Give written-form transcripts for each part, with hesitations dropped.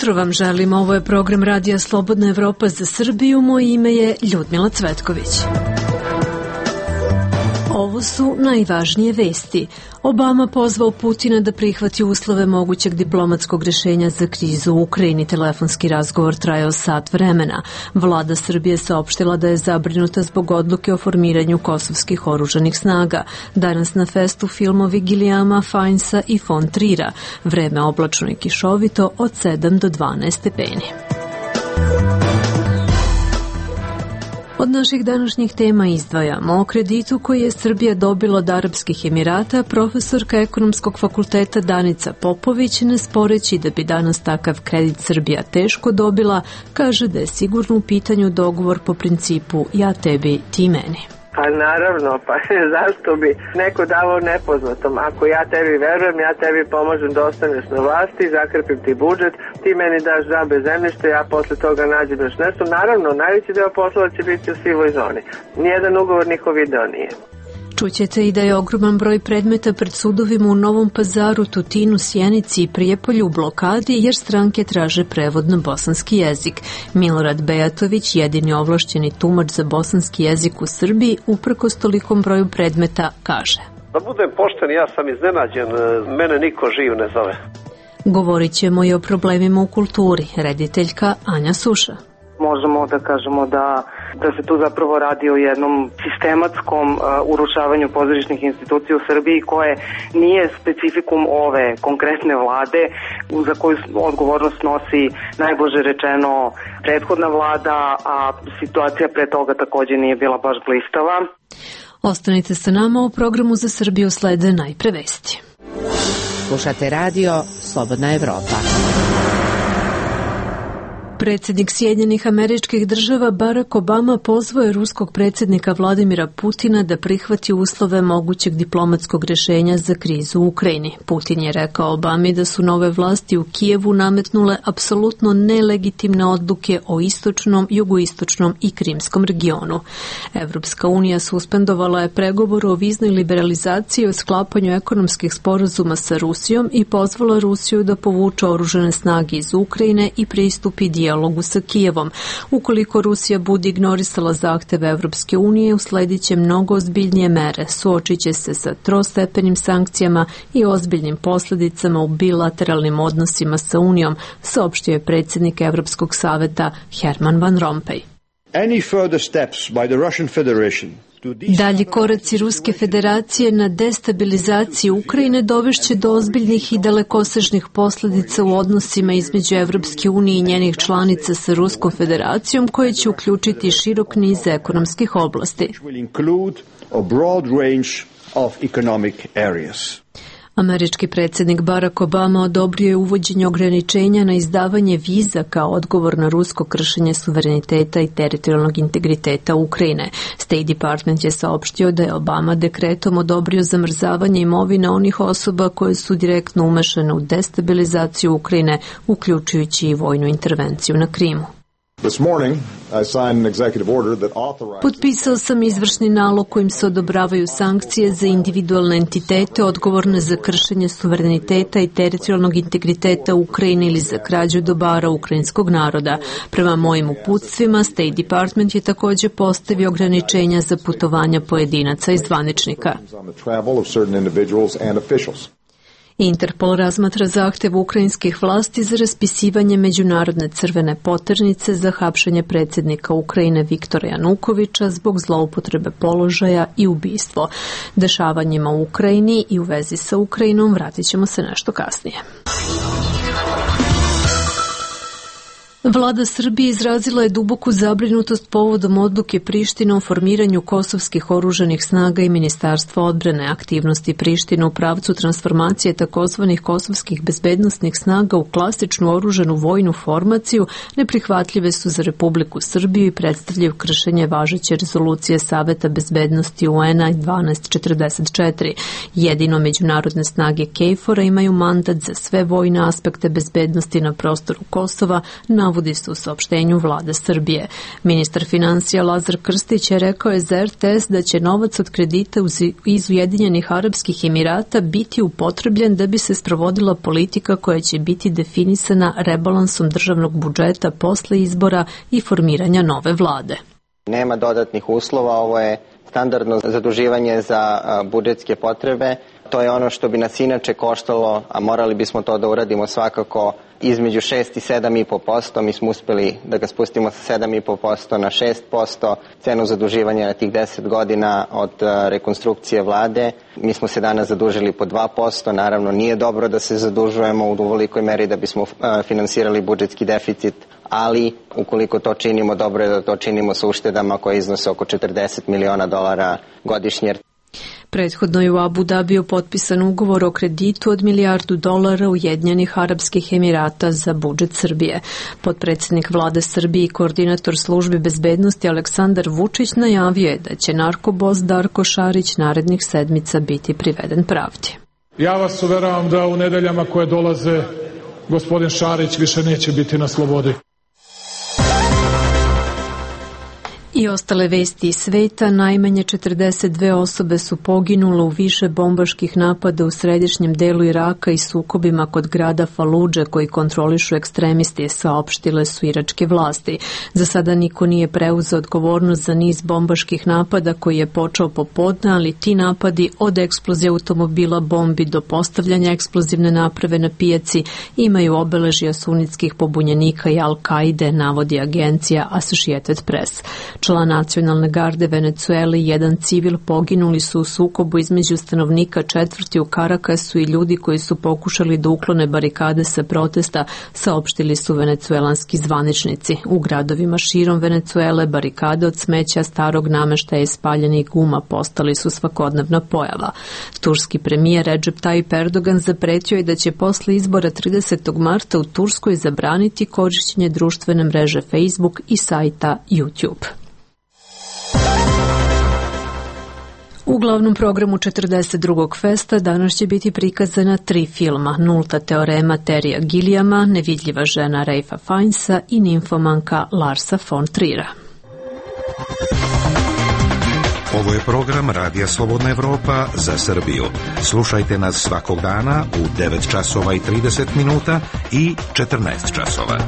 jutro vam želim, ovo je program Radija Slobodna Evropa za Srbiju, moje ime je Ljudmila Cvetković. Ovo su najvažnije vesti. Obama pozvao Putina da prihvati uslove mogućeg diplomatskog rješenja za krizu u Ukrajini. Telefonski razgovor trajao sat vremena. Vlada Srbije saopštila da je zabrinuta zbog odluke o formiranju kosovskih oružanih snaga. Danas na festu filmovi Gilijama, Fajnsa i Fon Trira. Vreme oblačno i kišovito od 7 do 12 stepeni. Od naših današnjih tema izdvajamo o kreditu koji je Srbija dobila od Arapskih Emirata. Profesorka Ekonomskog fakulteta Danica Popović, ne sporeći da bi danas takav kredit Srbija teško dobila, kaže da je sigurno u pitanju dogovor po principu ja tebi, ti meni. Pa naravno, pa zašto bi neko davao nepoznatom? Ako ja tebi verujem, ja tebi pomažem da ostaneš na vlasti, zakrpim ti budžet, ti meni daš džabe zemljište, ja posle toga nađem još nešto. Naravno, najveći deo poslova će biti u sivoj zoni. Nijedan ugovor niko video nije. Čućete i da je ogroman broj predmeta pred sudovima u Novom Pazaru, Tutinu, Sjenici i Prijepolju u blokadi jer stranke traže prevod na bosanski jezik. Milorad Bejatović, jedini ovlašćeni tumač za bosanski jezik u Srbiji, uprkos tolikom broju predmeta, kaže: Da budem pošten, ja sam iznenađen, mene niko živ ne zove. Govorit ćemo i o problemima u kulturi. Rediteljka Anja Suša. Možemo da kažemo da se tu zapravo radi o jednom sistematskom urušavanju pozorišnih institucija u Srbiji koje nije specifikum ove konkretne vlade za koju odgovornost nosi najblaže rečeno prethodna vlada, a situacija pre toga takođe nije bila baš blistava. Ostanite sa nama, u programu za Srbiju slede najpre vesti. Slušate radio Slobodna Evropa. Predsjednik Sjedinjenih Američkih Država Barack Obama pozvao je ruskog predsjednika Vladimira Putina da prihvati uslove mogućeg diplomatskog rješenja za krizu u Ukrajini. Putin je rekao Obami da su nove vlasti u Kijevu nametnule apsolutno nelegitimne odluke o istočnom, jugoistočnom i krimskom regionu. Evropska unija suspendovala je pregovor o viznoj liberalizaciji i o sklapanju ekonomskih sporazuma sa Rusijom i pozvala Rusiju da povuče oružane snage iz Ukrajine i pristupi dijalogu sa Kijevom. Ukoliko Rusija bude ignorisala zahteve Evropske unije, usledit će mnogo ozbiljnije mere, suočit će se sa trostepenim sankcijama i ozbiljnim posljedicama u bilateralnim odnosima sa Unijom, saopštio je predsjednik Evropskog saveta Herman Van Rompuy. Dalji koraci Ruske federacije na destabilizaciju Ukrajine dovešće do ozbiljnih i dalekosežnih posljedica u odnosima između Evropske unije i njenih članica sa Ruskom federacijom, koje će uključiti širok niz ekonomskih oblasti. Američki predsjednik Barack Obama odobrio je uvođenje ograničenja na izdavanje viza kao odgovor na rusko kršenje suvereniteta i teritorijalnog integriteta Ukrajine. State Department je saopštio da je Obama dekretom odobrio zamrzavanje imovine onih osoba koje su direktno umešane u destabilizaciju Ukrajine, uključujući i vojnu intervenciju na Krimu. Potpisao sam izvršni nalog kojim se odobravaju sankcije za individualne entitete odgovorne za kršenje suvereniteta i teritorijalnog integriteta Ukrajine ili za krađu dobara ukrajinskog naroda. Prema mojim uputstvima, State Department je također postavio ograničenja za putovanja pojedinaca i zvaničnika. Interpol razmatra zahtev ukrajinskih vlasti za raspisivanje međunarodne crvene poternice za hapšenje predsjednika Ukrajine Viktora Janukovića zbog zloupotrebe položaja i ubistvo. Dešavanjima u Ukrajini i u vezi sa Ukrajinom vratit ćemo se nešto kasnije. Vlada Srbije izrazila je duboku zabrinutost povodom odluke Prištine o formiranju kosovskih oružanih snaga i Ministarstva odbrane. Aktivnosti Prištine u pravcu transformacije takozvanih kosovskih bezbednosnih snaga u klasičnu oružanu vojnu formaciju neprihvatljive su za Republiku Srbiju i predstavljaju kršenje važeće rezolucije Saveta bezbednosti UN-a 1244. Jedino međunarodne snage KFOR-a imaju mandat za sve vojne aspekte bezbednosti na prostoru Kosova, navodi navodi se u saopštenju vlade Srbije. Ministar financija Lazar Krstić je rekao je za RTS da će novac od kredita iz Ujedinjenih Arapskih Emirata biti upotrebljen da bi se sprovodila politika koja će biti definisana rebalansom državnog budžeta posle izbora i formiranja nove vlade. Nema dodatnih uslova, ovo je standardno zaduživanje za budžetske potrebe. To je ono što bi nas inače koštalo, a morali bismo to da uradimo svakako između 6 i 7,5%. Mi smo uspeli da ga spustimo sa 7,5% na 6%, cenu zaduživanja na tih 10 godina od rekonstrukcije vlade. Mi smo se danas zadužili po 2%, naravno nije dobro da se zadužujemo u velikoj meri da bismo finansirali budžetski deficit, ali ukoliko to činimo, dobro je da to činimo sa uštedama koje iznose oko $40 miliona godišnje. Prethodno je u Abu Dabiju potpisan ugovor o kreditu od $1 milijardu Ujedinjenih Arapskih Emirata za budžet Srbije. Potpredsednik vlade Srbije i koordinator službi bezbednosti Aleksandar Vučić najavio je da će narkobos Darko Šarić narednih sedmica biti priveden pravdi. Ja vas uveravam da u nedeljama koje dolaze gospodin Šarić više neće biti na slobodi. I ostale vesti iz sveta, najmanje 42 osobe su poginule u više bombaških napada u središnjem delu Iraka i sukobima kod grada Faludže koji kontrolišu ekstremisti, saopštile su iračke vlasti. Za sada niko nije preuzeo odgovornost za niz bombaških napada koji je počeo popodne, ali ti napadi od eksplozije automobila, bombi do postavljanja eksplozivne naprave na pijaci imaju obeležja sunitskih pobunjenika i Al-Kaide, navodi agencija Associated Press. Član nacionalne garde Venecuele i jedan civil poginuli su u sukobu između stanovnika četvrti u Karakasu i ljudi koji su pokušali da uklone barikade sa protesta, saopštili su venecuelanski zvaničnici. U gradovima širom Venecuele barikade od smeća, starog nameštaja i spaljenih guma postali su svakodnevna pojava. Turski premijer Recep Tayyip Erdogan zapretio je da će posle izbora 30. marta u Turskoj zabraniti korišćenje društvene mreže Facebook i sajta YouTube. U glavnom programu 42. festa danas će biti prikazana 3 filma: Nulta teorema Terija Gilliama, Nevidljiva žena Ralpha Fiennesa i Nimfomanka Larsa von Trier'a. Ovo je program Radija Slobodna Evropa za Srbiju. Slušajte nas svakog dana u 9 časova i 30 minuta i 14 časova.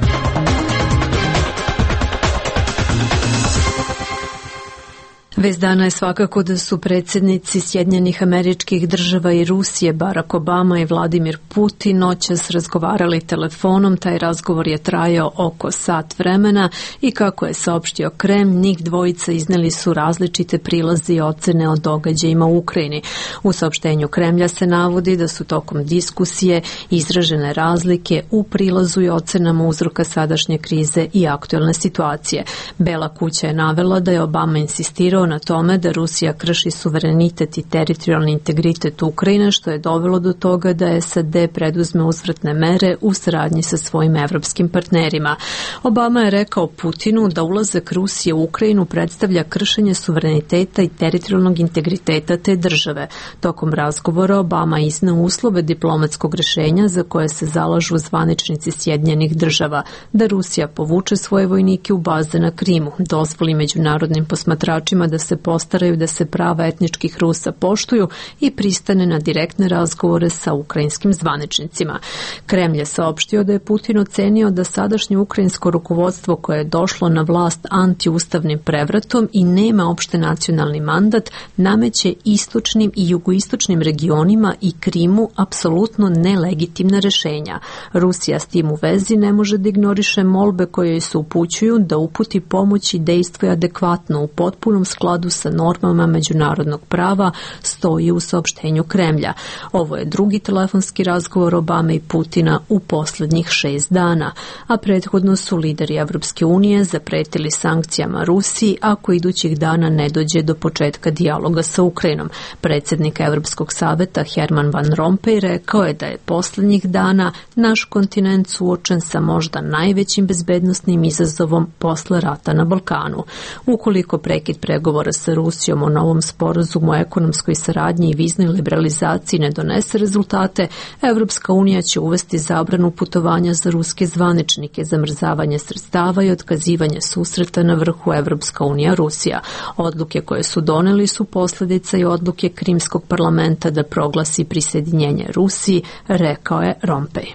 Vest dana je svakako da su predsjednici Sjedinjenih Američkih Država i Rusije Barack Obama i Vladimir Putin noćas razgovarali telefonom. Taj razgovor je trajao oko sat vremena i kako je saopštio Kremlj, njih dvojica izneli su različite prilaze i ocene o događajima u Ukrajini. U saopštenju Kremlja se navodi da su tokom diskusije izražene razlike u prilazu i ocenama uzroka sadašnje krize i aktuelne situacije. Bela kuća je navela da je Obama insistirao na tome da Rusija krši suverenitet i teritorijalni integritet Ukrajine, što je dovelo do toga da SAD preduzme uzvratne mere u saradnji sa svojim evropskim partnerima. Obama je rekao Putinu da ulazak Rusije u Ukrajinu predstavlja kršenje suvereniteta i teritorijalnog integriteta te države. Tokom razgovora Obama izneo uslove diplomatskog rešenja za koje se zalažu zvaničnici Sjedinjenih Država, da Rusija povuče svoje vojnike u baze na Krimu, dozvoli međunarodnim posmatračima da se postaraju da se prava etničkih Rusa poštuju i pristane na direktne razgovore sa ukrajinskim zvaničnicima. Kremlj je saopštio da je Putin ocenio da sadašnje ukrajinsko rukovodstvo koje je došlo na vlast antiustavnim prevratom i nema opšte nacionalni mandat, nameće istočnim i jugoistočnim regionima i Krimu apsolutno nelegitimna rešenja. Rusija s tim u vezi ne može da ignoriše molbe koje joj se upućuju da uputi pomoć i dejstvuje adekvatno u potpunom skladu sa normama međunarodnog prava, stoji u saopštenju Kremlja. Ovo je drugi telefonski razgovor Obame i Putina u poslednjih 6 dana, a prethodno su lideri Evropske unije zapretili sankcijama Rusiji ako idućih dana ne dođe do početka dijaloga sa Ukrajinom. Predsjednik Evropskog saveta Herman Van Rompuy rekao je da je poslednjih dana naš kontinent suočen sa možda najvećim bezbednosnim izazovom posle rata na Balkanu. Ukoliko prekid pregovora pregovora sa Rusijom o novom sporazumu o ekonomskoj saradnji i viznoj liberalizaciji ne donese rezultate, Evropska unija će uvesti zabranu putovanja za ruske zvaničnike, zamrzavanje sredstava i otkazivanje susreta na vrhu Evropska unija Rusija. Odluke koje su doneli su posljedica i odluke Krimskog parlamenta da proglasi prisjedinjenje Rusiji, rekao je Rompej.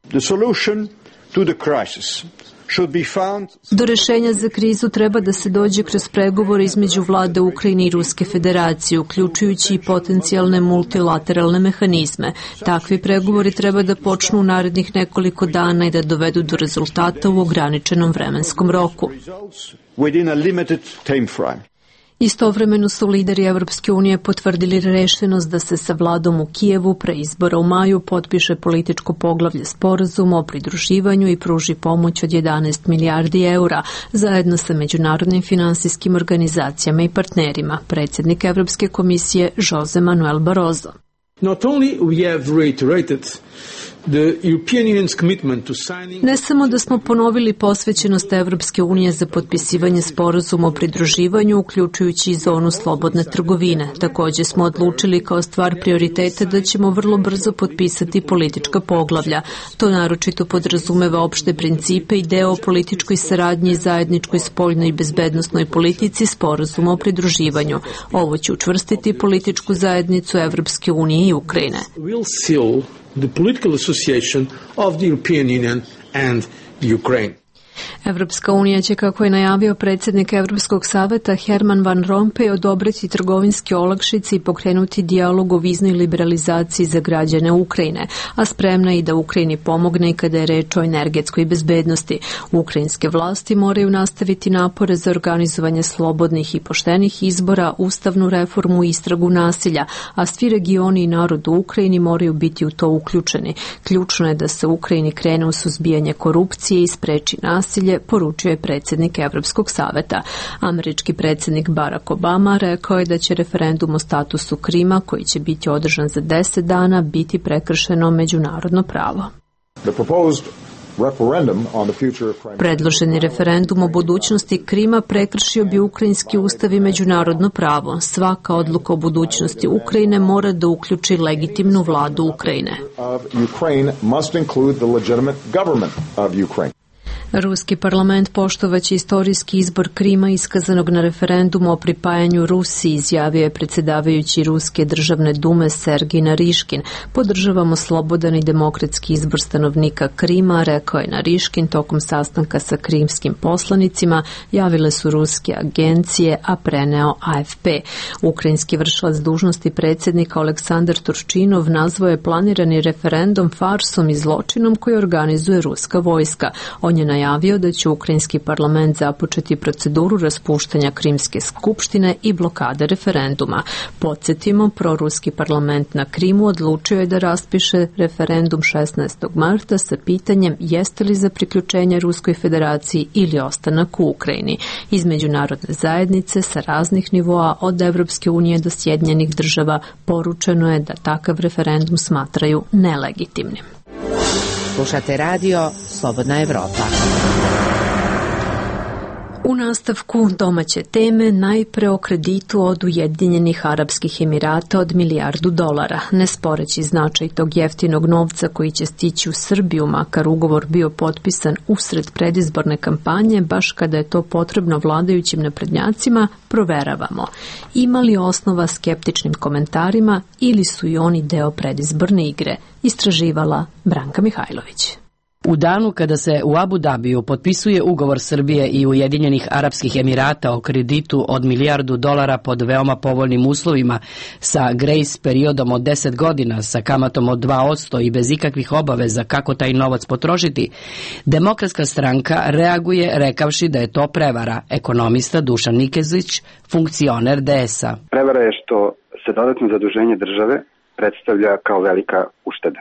The solution to the crisis do rešenja za krizu treba da se dođe kroz pregovore između vlade Ukrajine i Ruske federacije, uključujući i potencijalne multilateralne mehanizme. Takvi pregovori treba da počnu u narednih nekoliko dana i da dovedu do rezultata u ograničenom vremenskom roku. Istovremeno su lideri Evropske unije potvrdili rešenost da se sa vladom u Kijevu pre izbora u maju potpiše političko poglavlje sporazuma o pridruživanju i pruži pomoć od 11 milijardi eura zajedno sa međunarodnim finansijskim organizacijama i partnerima, predsjednik Evropske komisije Jose Manuel Barroso. Not only we have reiterated Ne samo da smo ponovili posvećenost Evropske unije za potpisivanje sporazuma o pridruživanju, uključujući i zonu slobodne trgovine. Također smo odlučili kao stvar prioriteta da ćemo vrlo brzo potpisati politička poglavlja. To naročito podrazumeva opšte principe i deo o političkoj saradnji i zajedničkoj spoljnoj i bezbednosnoj politici sporazuma o pridruživanju. Ovo će učvrstiti političku zajednicu Evropske unije i Ukrajine. The political association of the European Union and the Ukraine. Evropska unija će, kako je najavio predsjednik Evropskog saveta Herman Van Rompuy, odobriti trgovinske olakšice i pokrenuti dijalog o viznoj liberalizaciji za građane Ukrajine, a spremna i da Ukrajini pomogne i kada je reč o energetskoj bezbednosti. Ukrajinske vlasti moraju nastaviti napore za organizovanje slobodnih i poštenih izbora, ustavnu reformu i istragu nasilja, a svi regioni i narod u Ukrajini moraju biti u to uključeni. Ključno je da se Ukrajini krene u suzbijanje korupcije i spreči nasilje, poručio je predsjednik Evropskog saveta. Američki predsjednik Barack Obama rekao je da će referendum o statusu Krima, koji će biti održan za 10 dana, biti prekršeno međunarodno pravo. Predloženi referendum o budućnosti Krima prekršio bi ukrajinski ustav i međunarodno pravo. Svaka odluka o budućnosti Ukrajine mora da uključi legitimnu vladu Ukrajine. Ruski parlament poštovaće istorijski izbor Krima iskazanog na referendumu o pripajanju Rusiji, izjavio je predsjedavajući Ruske državne dume Sergij Nariškin. Podržavamo slobodan i demokratski izbor stanovnika Krima, rekao je Nariškin tokom sastanka sa krimskim poslanicima, javile su ruske agencije, a preneo AFP. Ukrajinski vršilac dužnosti predsjednika Aleksandar Turčinov nazvao je planirani referendum farsom i zločinom koji organizuje ruska vojska. On je najavio da će ukrajinski parlament započeti proceduru raspuštanja Krimske skupštine i blokade referenduma. Podsjetimo, proruski parlament na Krimu odlučio je da raspiše referendum 16. marta sa pitanjem jeste li za priključenje Ruskoj federaciji ili ostanak u Ukrajini. Iz međunarodne zajednice sa raznih nivoa od Evropske unije do Sjedinjenih država poručeno je da takav referendum smatraju nelegitimnim. Slušate radio Slobodna Evropa. U nastavku domaće teme najpre o kreditu od Ujedinjenih Arapskih Emirata od $1 milijardu. Ne sporeći značaj tog jeftinog novca koji će stići u Srbiju, makar ugovor bio potpisan usred predizborne kampanje, baš kada je to potrebno vladajućim naprednjacima, proveravamo. Ima li osnova skeptičnim komentarima ili su i oni deo predizborne igre? Istraživala Branka Mihajlović. U danu kada se u Abu Dabiju potpisuje ugovor Srbije i Ujedinjenih Arapskih Emirata o kreditu od $1 milijardu pod veoma povoljnim uslovima sa grace periodom od 10 godina, sa kamatom od 2% i bez ikakvih obaveza kako taj novac potrošiti, Demokratska stranka reaguje rekavši da je to prevara. Ekonomista Dušan Nikezić, funkcioner DS-a. Prevara je što se dodatno zaduženje države predstavlja kao velika ušteda.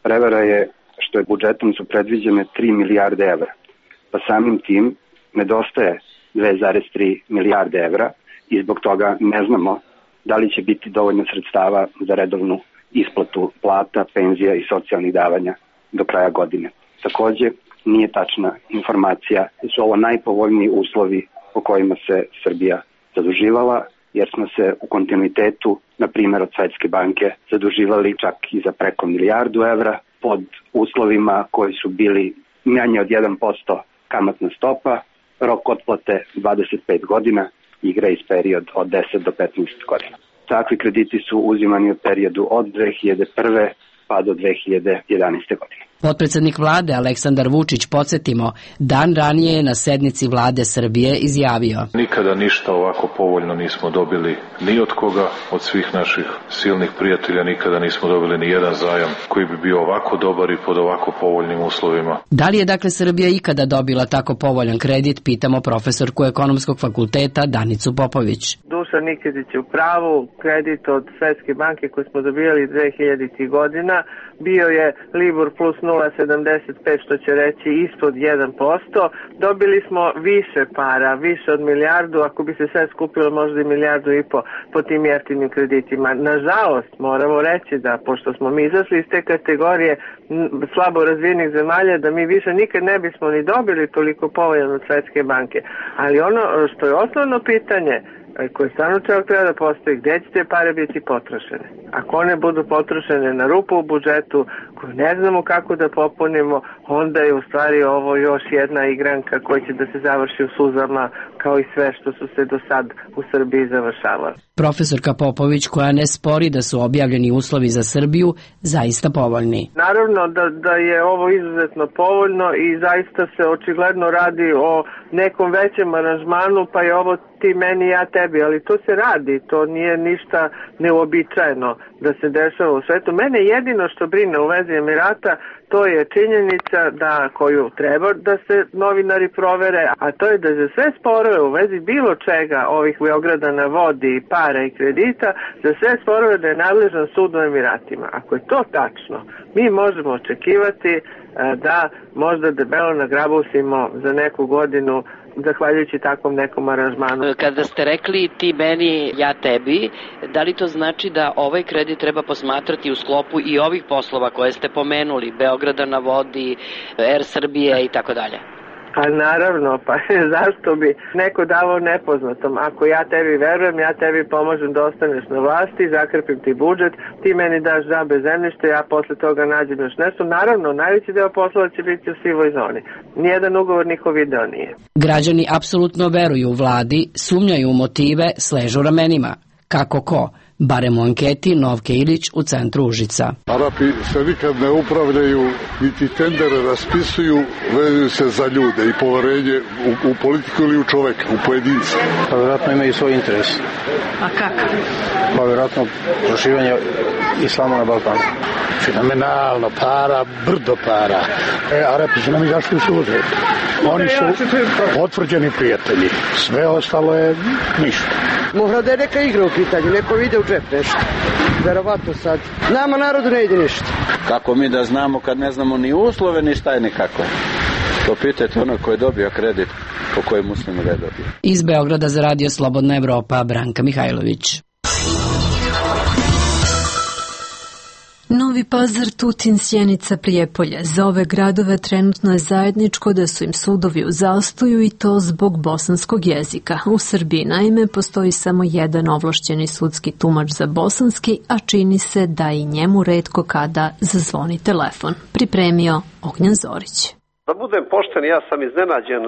Prevara je što je budžetom su predviđene 3 milijarde evra, pa samim tim nedostaje 2,3 milijarde evra i zbog toga ne znamo da li će biti dovoljno sredstava za redovnu isplatu plata, penzija i socijalnih davanja do kraja godine. Takođe, nije tačna informacija da su ovo najpovoljniji uslovi po kojima se Srbija zaduživala, jer smo se u kontinuitetu, na primjer od Svetske banke, zaduživali čak i za preko milijardu evra pod uslovima koji su bili manje od 1% kamatna stopa, rok otplate 25 godina i grace period od 10 do 15 godina. Takvi krediti su uzimani u periodu od 2001. pa do 2011. godine. Potpredsednik vlade Aleksandar Vučić, podsjetimo, dan ranije je na sednici vlade Srbije izjavio: Nikada ništa ovako povoljno nismo dobili ni od koga, od svih naših silnih prijatelja, nikada nismo dobili ni jedan zajam koji bi bio ovako dobar i pod ovako povoljnim uslovima. Da li je dakle Srbija ikada dobila tako povoljan kredit, pitamo profesorku Ekonomskog fakulteta Danicu Popović. Dušan Nikezić je u pravu, kredit od Svetske banke koji smo dobijali 2000. godina bio je Libor plus 0,75, što će reći ispod 1%. Dobili smo više para, više od milijardu, ako bi se sve skupilo možda i milijardu i po tim jeftinim kreditima. Nažalost, moramo reći da, pošto smo mi izašli iz te kategorije slabo razvijenih zemalja, da mi više nikad ne bismo ni dobili toliko povoljan od Svetske banke. Ali ono što je osnovno pitanje, koje stvarno treba da postoji, gde će te pare biti potrošene? Ako one budu potrošene na rupu u budžetu, koju ne znamo kako da popunimo, onda je u stvari ovo još jedna igranka koja će da se završi u suzama, kao i sve što su se do sad u Srbiji završavali. Profesorka Popović, koja ne spori da su objavljeni uslovi za Srbiju zaista povoljni. Naravno da je ovo izuzetno povoljno i zaista se očigledno radi o nekom većem aranžmanu, pa je ovo ti meni, ja tebi, ali to se radi, to nije ništa neuobičajeno da se dešava u svetu. Mene jedino što brine u vezi Emirata, to je činjenica koju treba da se novinari provere, a to je da za sve sporove u vezi bilo čega ovih Beograda na vodi, para i kredita, za sve sporove da je nadležan sud u Emiratima. Ako je to tačno, mi možemo očekivati da možda debelo nagrabusimo za neku godinu zahvaljujući takvom nekom aranžmanu. Kada ste rekli ti meni, ja tebi, da li to znači da ovaj kredit treba posmatrati u sklopu i ovih poslova koje ste pomenuli, Beograda na vodi, Air Srbije i tako dalje? Pa naravno, pa zašto bi neko davao nepoznatom? Ako ja tebi verujem, ja tebi pomažem da ostaneš na vlasti, zakrpim ti budžet, ti meni daš džabe zemljište, ja posle toga nađem još nešto. Naravno, najveći deo poslova će biti u sivoj zoni. Nijedan ugovor niko video nije. Građani apsolutno veruju vladi, sumnjaju u motive, sležu ramenima. Kako ko? Barem u anketi Novke Ilić u centru Užica. Arapi se nikad ne upravljaju, niti tendere raspisuju, vezuju se za ljude i poverenje u politiku ili u čoveka, u pojedinca. Pa vjerojatno imaju svoj interes. A kako? Pa vjerojatno proširivanje islama na Balkanu. Fenomenalno, para, brdo para. Arapi su nam izašli u susret. Oni su potvrđeni prijatelji. Sve ostalo je ništa. Mora da je neka igra u pitanju, neko vide u džep nešto. Verovatno sad. Nama narodu ne ide ništa. Kako mi da znamo kad ne znamo ni uslove ni šta je nikako? To pitajte ono ko je dobio kredit, po kojem muslimu ga je dobio. Iz Beograda za Radio Slobodna Evropa, Branka Mihajlović. Novi Pazar, Tutin, Sjenica, Prijepolje. Za ove gradove trenutno je zajedničko da su im sudovi u zastoju i to zbog bosanskog jezika. U Srbiji naime postoji samo jedan ovlašćeni sudski tumač za bosanski, a čini se da i njemu retko kada zazvoni telefon. Pripremio Ognjan Zorić. Da budem pošten, ja sam iznenađen,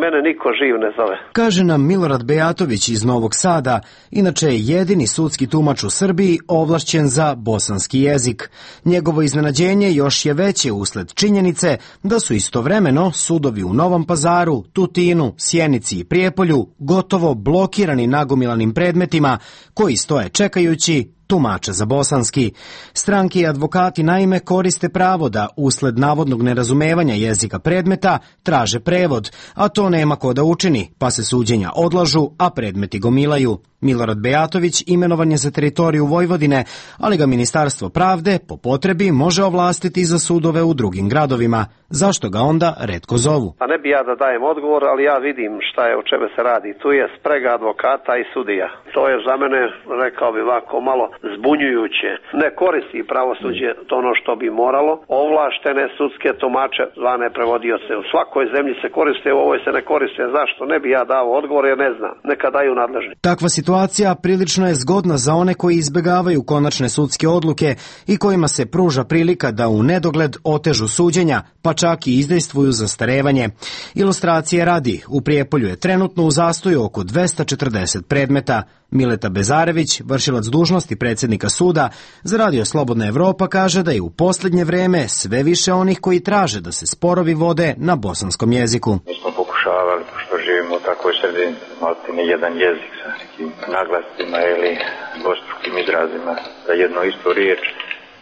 mene niko živ ne zove. Kaže nam Milorad Bejatović iz Novog Sada, inače je jedini sudski tumač u Srbiji ovlašćen za bosanski jezik. Njegovo iznenađenje još je veće usled činjenice da su istovremeno sudovi u Novom Pazaru, Tutinu, Sjenici i Prijepolju gotovo blokirani nagomilanim predmetima koji stoje čekajući tumača za bosanski. Stranke i advokati naime koriste pravo da usled navodnog nerazumevanja jezika predmeta traže prevod, a to nema ko da učini, pa se suđenja odlažu, a predmeti gomilaju. Milorad Bejatović imenovan je za teritoriju Vojvodine, ali ga Ministarstvo pravde po potrebi može ovlastiti za sudove u drugim gradovima. Zašto ga onda retko zovu? A ne bi ja da dajem odgovor, ali ja vidim šta je, o čemu se radi. Tu je sprega advokata i sudija. To je za mene, rekao bi ovako, malo zbunjujuće. Ne koristi pravosuđe ono što bi moralo. Ovlaštene sudske tumače, zvane prevodioce. U svakoj zemlji se koriste, u ovoj se ne koriste. Zašto? Ne bi ja dao odgovor jer ne znam. Neka daju nadležni. Takva situacija prilično je zgodna za one koji izbegavaju konačne sudske odluke i kojima se pruža prilika da u nedogled otežu suđenja, pa čak i izdejstvuju zastarevanje. Ilustracije radi, u Prijepolju je trenutno u zastoju oko 240 predmeta. Mileta Bezarević, vršilac dužnosti predsjednika suda, za Radio Slobodna Evropa kaže da je u posljednje vreme sve više onih koji traže da se sporovi vode na bosanskom jeziku. Mi smo pokušavali, pošto živimo u takvoj sredini, imati ni jedan jezik sa nekim naglascima ili dvostrukim izrazima za jednu istu riječ,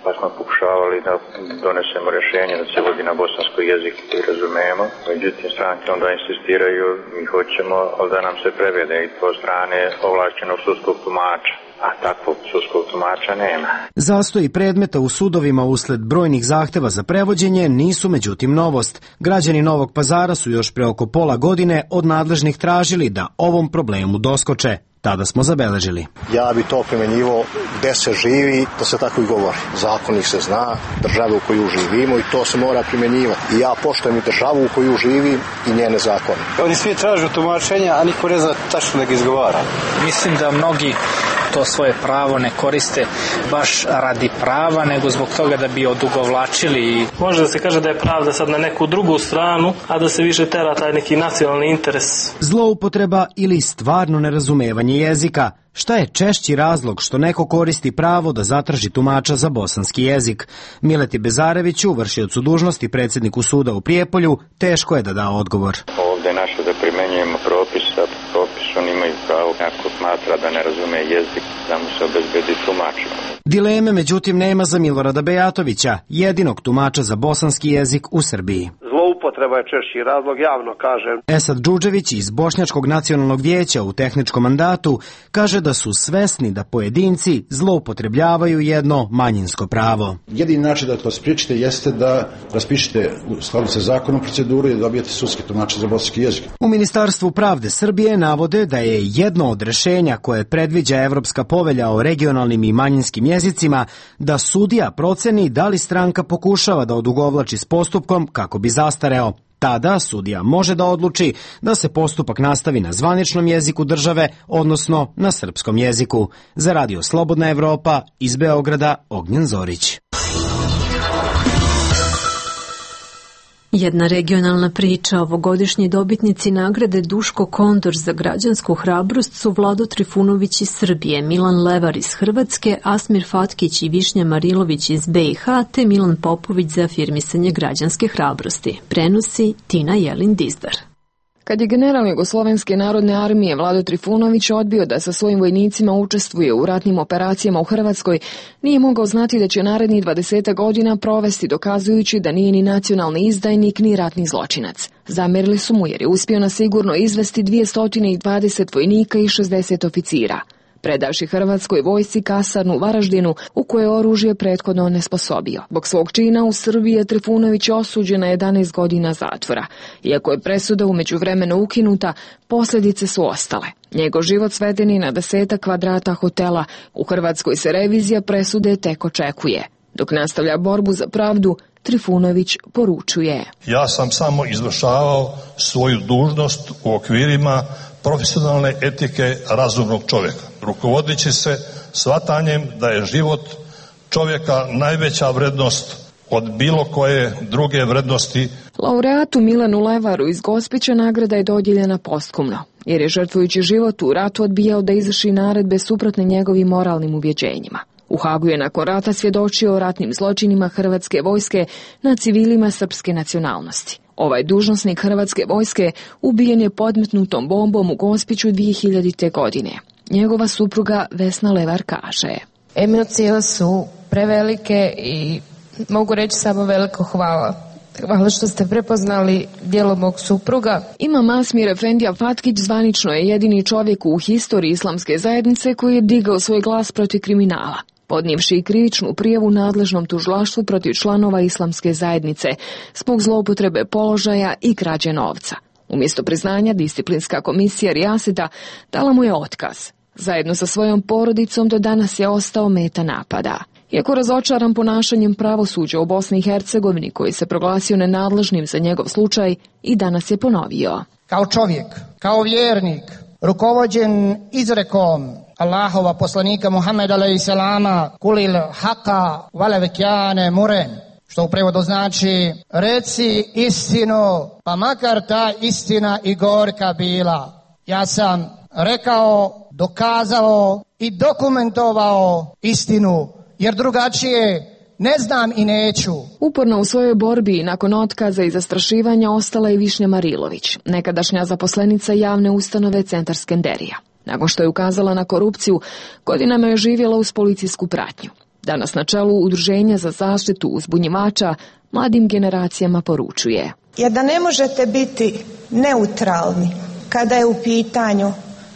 pa smo pokušavali da donesemo rješenje da se vodi na bosanskoj jeziku koji razumijemo. Međutim, stranke onda insistiraju, mi hoćemo, ali da nam se prevede i to strane ovlašćenog sudskog tumača. A takvog sudskog tumača nema. Zastoji predmeta u sudovima usled brojnih zahteva za prevođenje nisu međutim novost. Građani Novog Pazara su još pre oko pola godine od nadležnih tražili da ovom problemu doskoče. Tada smo zabeležili. Ja bi to primjenjivao gde se živi, da se tako i govori. Zakon ih se zna, državu u koju živimo i to se mora primjenjivati. I ja poštujem i državu u koju živim i njene zakone. Oni svi tražu tumačenja, a niko ne zna tačno da ga izgovara. Mislim da mnogi to svoje pravo ne koriste baš radi prava, nego zbog toga da bi odugovlačili. Može da se kaže da je pravda sad na neku drugu stranu, a da se više tera taj neki nacionalni interes. Zloupotreba ili stvarno nerazumevanje jezika. Šta je češći razlog što neko koristi pravo da zatraži tumača za bosanski jezik? Mileti Bezareviću, vršiocu dužnosti predsjedniku suda u Prijepolju, teško je da da odgovor. Ovdje je naše da primenjujemo propis, a propis oni imaju pravo ako smatra da ne razume jezik, da mu se obezbedi tumač. Dileme međutim nema za Milorada Bejatovića, jedinog tumača za bosanski jezik u Srbiji. Zloupotreba je češći razlog, javno kažem. Esad Džudžević iz Bošnjačkog nacionalnog vijeća u tehničkom mandatu kaže da su svesni da pojedinci zloupotrebljavaju jedno manjinsko pravo. Jedini način da to spriječite jeste da raspišete u skladu sa zakonom proceduru i da dobijete sudski tumač za bosanski jezik. U Ministarstvu pravde Srbije navode da je jedno od rešenja koje predviđa Evropska povelja o regionalnim i manjinskim jezicima da sudija proceni da li stranka pokušava da odugovlači s postupkom kako bi zastareo. Tada sudija može da odluči da se postupak nastavi na zvaničnom jeziku države, odnosno na srpskom jeziku. Za Radio Slobodna Evropa, iz Beograda, Ognjen Zorić. Jedna regionalna priča. Ovogodišnji dobitnici nagrade Duško Kondor za građansku hrabrost su Vlado Trifunović iz Srbije, Milan Levar iz Hrvatske, Asmir Fatkić i Višnja Marilović iz BiH, te Milan Popović za afirmisanje građanske hrabrosti. Prenosi Tina Jelin Dizdar. Kad je general Jugoslovenske narodne armije Vlado Trifunović odbio da sa svojim vojnicima učestvuje u ratnim operacijama u Hrvatskoj, nije mogao znati da će narednih 20 godina provesti dokazujući da nije ni nacionalni izdajnik ni ratni zločinac. Zamerili su mu jer je uspio na sigurno izvesti 220 vojnika i 60 oficira. Predavši Hrvatskoj vojsci kasarnu u Varaždinu u kojoj je oružje prethodno onesposobio. Zbog svog čina u Srbiji je Trifunović osuđen na 11 godina zatvora. Iako je presuda u međuvremenu ukinuta, posljedice su ostale. Njegov život sveden je na 10 kvadrata hotela. U Hrvatskoj se revizija presude tek očekuje. Dok nastavlja borbu za pravdu, Trifunović poručuje: Ja sam samo izvršavao svoju dužnost u okvirima profesionalne etike razumnog čovjeka, rukovodeći se shvatanjem da je život čovjeka najveća vrednost od bilo koje druge vrednosti. Laureatu Milanu Levaru iz Gospića nagrada je dodijeljena posthumno, jer je žrtvujući život u ratu odbijao da izvrši naredbe suprotne njegovim moralnim ubjeđenjima. U Hagu je nakon rata svjedočio o ratnim zločinima Hrvatske vojske na civilima srpske nacionalnosti. Ovaj dužnosnik Hrvatske vojske ubijen je podmetnutom bombom u Gospiću 2000. godine. Njegova supruga Vesna Levar kaže: Emocije su prevelike i mogu reći samo veliko hvala Hvala što ste prepoznali djelo mog supruga. Imam Asmir Efendija Fatkić zvanično je jedini čovjek u historiji islamske zajednice koji je digao svoj glas protiv kriminala, podnijevši krivičnu prijavu nadležnom tužilaštvu protiv članova islamske zajednice zbog zloupotrebe položaja i krađe novca. Umjesto priznanja, disciplinska komisija Rijaseta dala mu je otkaz. Zajedno sa svojom porodicom do danas je ostao meta napada. Iako razočaran ponašanjem pravosuđa u Bosni i Hercegovini, koji se proglasio nenadležnim za njegov slučaj, i danas je ponovio. Kao čovjek, kao vjernik, rukovođen izrekom Allahova poslanika Muhammeda a.s. kulil haka valevekjane muren, što u prevodu znači reci istinu, pa makar ta istina i gorka bila. Ja sam rekao, dokazao i dokumentovao istinu, jer drugačije ne znam i neću. Uporno u svojoj borbi nakon otkaza i zastrašivanja ostala je Višnja Marilović, nekadašnja zaposlenica javne ustanove Centar Skenderija. Nakon što je ukazala na korupciju, godinama je živjela uz policijsku pratnju. Danas na čelu Udruženja za zaštitu uzbunjivača mladim generacijama poručuje. Jer da ne možete biti neutralni kada je u pitanju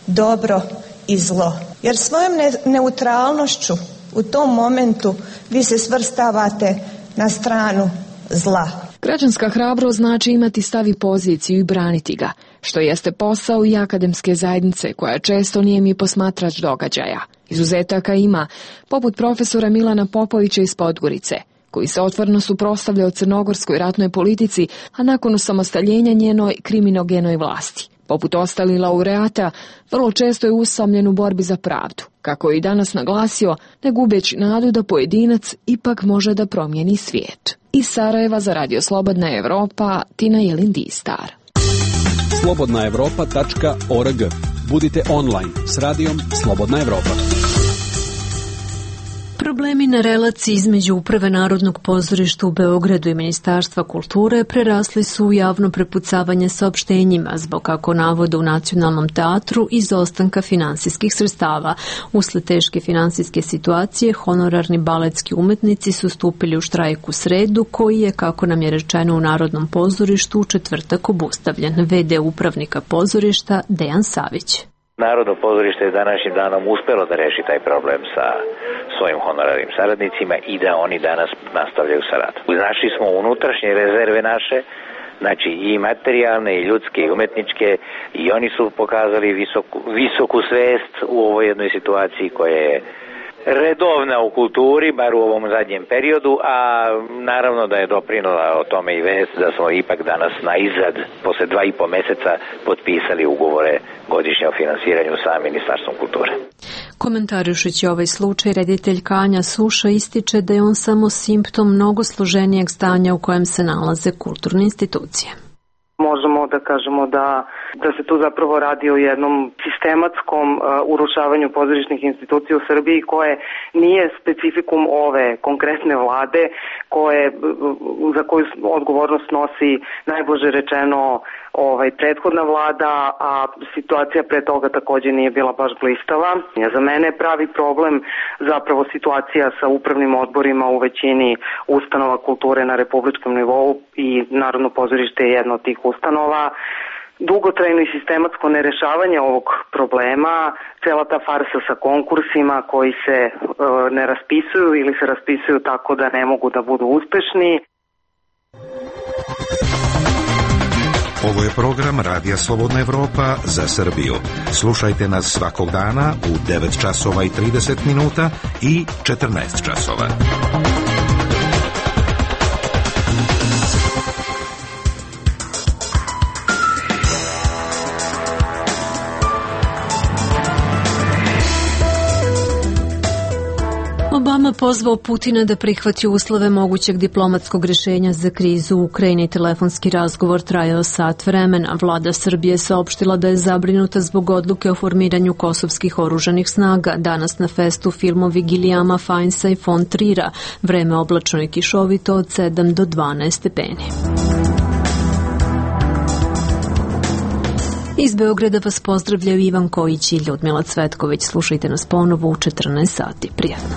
dobro i zlo. Jer svojom neutralnošću u tom momentu vi se svrstavate na stranu zla. Građanska hrabrost znači imati stav i poziciju i braniti ga, što jeste posao i akademske zajednice koja često nije mi posmatrač događaja. Izuzetaka ima, poput profesora Milana Popovića iz Podgorice, koji se otvoreno suprotstavljao crnogorskoj ratnoj politici, a nakon osamostaljenja njenoj kriminogenoj vlasti. Poput ostalih laureata, vrlo često je usamljen u borbi za pravdu, kako je i danas naglasio, ne gubeći nadu da pojedinac ipak može da promijeni svijet. Iz Sarajeva za Radio Slobodna Evropa, Tina Jelin-Distar. slobodnaevropa.org. Budite online s radijom Slobodna Evropa. Problemi na relaciji između Uprave Narodnog pozorišta u Beogradu i Ministarstva kulture prerasli su u javno prepucavanje saopštenjima zbog, kako navode u Nacionalnom teatru, izostanka finansijskih sredstava. Usled teške finansijske situacije, honorarni baletski umetnici su stupili u štrajk u sredu, koji je, kako nam je rečeno u Narodnom pozorištu, u četvrtak obustavljen. VD upravnika pozorišta Dejan Savić. Narodno pozorište je današnjim danom uspelo da reši taj problem sa svojim honorarnim saradnicima i da oni danas nastavljaju sa radom. Našli smo unutrašnje rezerve naše, znači i materijalne, i ljudske, i umetničke, i oni su pokazali visoku svest u ovoj jednoj situaciji koja je redovna u kulturi, bar u ovom zadnjem periodu, a naravno da je doprinula o tome i vest da smo ipak danas na izad, posle 2,5 meseca, potpisali ugovore godišnje o finansiranju sa Ministarstvom kulture. Komentarišući ovaj slučaj, reditelj Kanja Suša ističe da je on samo simptom mnogo složenijeg stanja u kojem se nalaze kulturne institucije. Možemo da kažemo da se tu zapravo radi o jednom sistematskom urušavanju pozorišnih institucija u Srbiji koje nije specifikum ove konkretne vlade za koju odgovornost nosi najblaže rečeno prethodna vlada, a situacija pre toga također nije bila baš blistava. Za mene je pravi problem zapravo situacija sa upravnim odborima u većini ustanova kulture na republičkom nivou i Narodno pozorište je jedna od tih ustanova. Dugotrajno i sistematsko nerešavanje ovog problema, cela ta farsa sa konkursima koji se ne raspisuju ili se raspisuju tako da ne mogu da budu uspešni. Ovo je program Radija Slobodna Evropa za Srbiju. Slušajte nas svakog dana u 9 časova i 30 minuta i 14 časova. Obama pozvao Putina da prihvati uslove mogućeg diplomatskog rješenja za krizu u Ukrajini. Telefonski razgovor trajao sat vremena. Vlada Srbije saopštila da je zabrinuta zbog odluke o formiranju kosovskih oružanih snaga. Danas na festu filmovi Gilijama Fajnsa i Fon Trira. Vreme oblačno i kišovito od 7 do 12 stepeni. Iz Beograda vas pozdravljaju Ivan Kojić i Ljudmila Cvetković. Slušajte nas ponovo u 14 sati. Prijatno.